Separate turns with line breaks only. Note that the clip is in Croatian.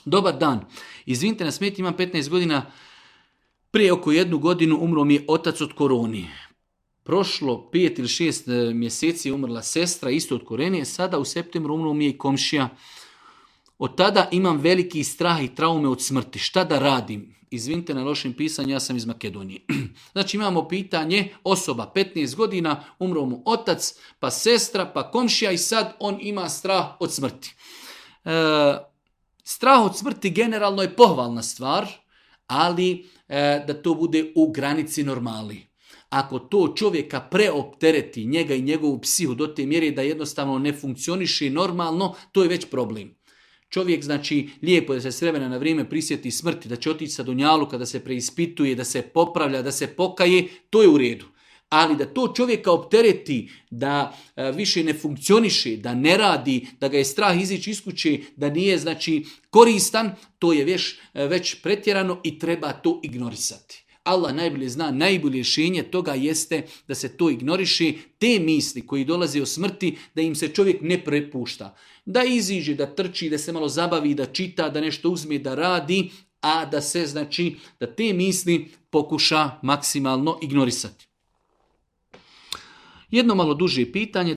Dobar dan. Izvinite na smet, imam 15 godina. Prije oko 1 godinu umro mi je otac od koroni. Prošlo 5 ili 6 mjeseci je umrla sestra isto od korone. Sada u septembru umro mi je i komšija. Od tada imam veliki strah i traume od smrti. Šta da radim? Izvinite na lošem pisanju, ja sam iz Makedonije. Znači imamo pitanje, osoba 15 godina, umro mu otac, pa sestra, pa komšija i sad on ima strah od smrti. Strah od smrti generalno je pohvalna stvar, ali da to bude u granici normali. Ako to čovjeka preoptereti, njega i njegovu psihu do te mjere da jednostavno ne funkcioniše normalno, to je već problem. Čovjek, znači, lijepo da se s vremena na vrijeme prisjeti smrti, da će otići sa dunjaluka, da se preispituje, da se popravlja, da se pokaje, to je u redu. Ali da to čovjeka optereti, da više ne funkcioniše, da ne radi, da ga je strah izići iz kuće, da nije, znači, koristan, to je već pretjerano i treba to ignorisati. Allah najbolje zna, najbolje rješenje toga jeste da se to ignoriše, te misli koji dolaze o smrti, da im se čovjek ne prepušta. Da iziđe, da trči, da se malo zabavi, da čita, da nešto uzme, da radi, a da se, znači, da te misli pokuša maksimalno ignorisati. Jedno malo duže pitanje.